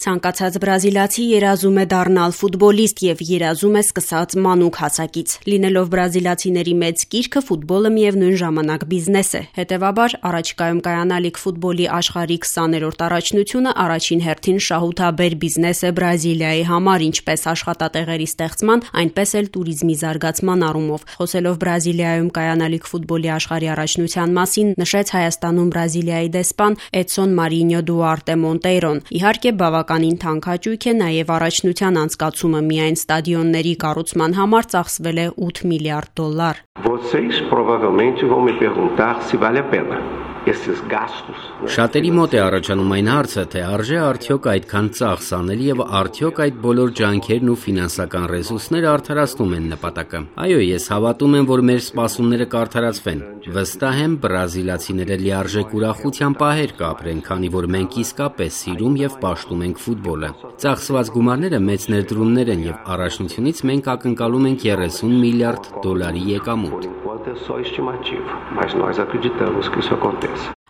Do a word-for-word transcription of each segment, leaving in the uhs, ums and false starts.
Ցանկացած բրազիլացի երազում է դառնալ ֆուտբոլիստ եւ երազում է սկսած մանուկ հասակից։ Լինելով բրազիլացիների մեծ կիրքը, ֆուտբոլը միևնույն ժամանակ բիզնես է։ Հետևաբար, առաջիկայում կայանալիք ֆուտբոլի աշխարհի քսաներորդ առաջնությունը առաջին հերթին շահութաբեր բիզնես է Բրազիլիայի համար, ինչպես աշխատատեղերի ստեղծման, այնպես էլ տուրիզմի զարգացման առումով։ Խոսելով Բրազիլիայում կայանալիք ֆուտբոլի աշխարհի առաջնության մասին, նշեց Հայաստանում Բրազիլիայի դեսպան Էդսոն Մարինյո Դուարտե Մոնտեյրոն։ Իհարկե, բավականին թանկ է նաև առաջնության անցկացումը, միայն ստադիոնների կառուցման համար ծախսվել է ութ միլիարդ դոլար։ Vocês provavelmente vão me perguntar se vale a pena. Շատերի մոտ է առաջանում այն հարցը, թե արժե արդյոք այդքան ծախս անել եւ արդյոք այդ բոլոր ջանքերն ու ֆինանսական ռեսուրսները արդարացնում են նպատակը։ Այո, ես հավատում եմ, որ մեր սպասումները կարդարացվեն։ Վստահ եմ, բրազիլացիները լիարժեք ուրախության պահեր կապրեն, քանի որ մենք իսկապես սիրում եւ պաշտում ենք ֆուտբոլը։ Ծախսված գումարները մեծ ներդրումներ են եւ առաջնությունից մենք ակնկալում ենք երեսուն միլիարդ դոլարի եկամուտ։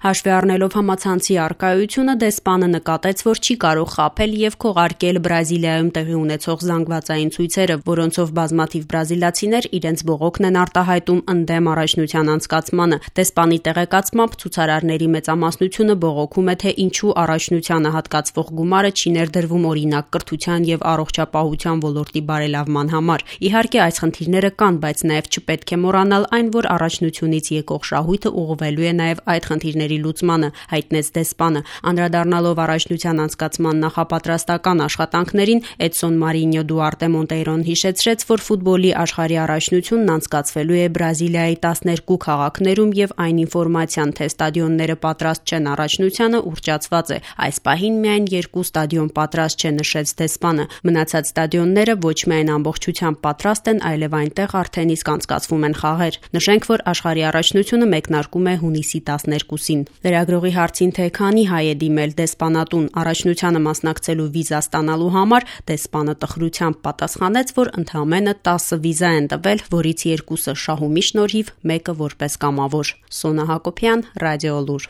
Հաշվի առնելով համացանցի առկայությունը, դեսպանը նկատեց, որ չի կարող խաբել եւ քողարկել Բրազիլիայում տեղի ունեցող զանգվածային ցույցերը, որոնցով բազմաթիվ բրազիլացիներ իրենց բողոքն են արտահայտում ընդդեմ առաջնության անցկացմանը։ Դեսպանի տեղեկացմամբ, ցուցարարների մեծամասնությունը բողոքում է, թե ինչու առաջնությանը հատկացվող գումարը չի ներդրվում օրինակ կրթության եւ առողջապահության ոլորտի բարելավման համար։ Իհարկե, այս խնդիրները կան, բայց նաեւ չպետք է մոռանալ այն, որ առաջնությունից եկող շահույթը ուղղվելու է նաեւ այդ խնդիրների լուծմանը, հայտնեց դեսպանը։ Անդրադառնալով առաջնության անցկացման նախապատրաստական աշխատանքներին, Էդսոն Մարինյո Դուարտե Մոնտեյրոն հիշեցրեց, որ ֆուտբոլի աշխարհի առաջնությունն անցկացվելու է Բրազիլիայի տասներկու քաղաքներում եւ այն ինֆորմացիան, թե ստադիոնները պատրաստ չեն առաջնությանը, ուռճացված է։ Այս պահին միայն երկու ստադիոն պատրաստ չէ, նշեց դեսպանը։ Մնացած ստադիոնները ոչ միայն ամբողջությամբ պատրաստ են, այլև այնտեղ արդեն իսկ անցկացվում են խաղեր։ Նշենք, որ աշխարհի առաջնությունը մեկնարկում է հունիսի տասներկուսին։ Լրագրողի հարցին, թե քանի հայ է դիմել դեսպանատուն առաջնությանը մասնակցելու վիզա ստանալու համար, դեսպանը տխրությամբ պատասխանեց, որ ընդամենը տասը վիզա են տվել, որից երկուսը շահումի շնորհիվ, մեկը որպես կամավոր։ Սոնա Հակոբյան, Ռադիոլուր։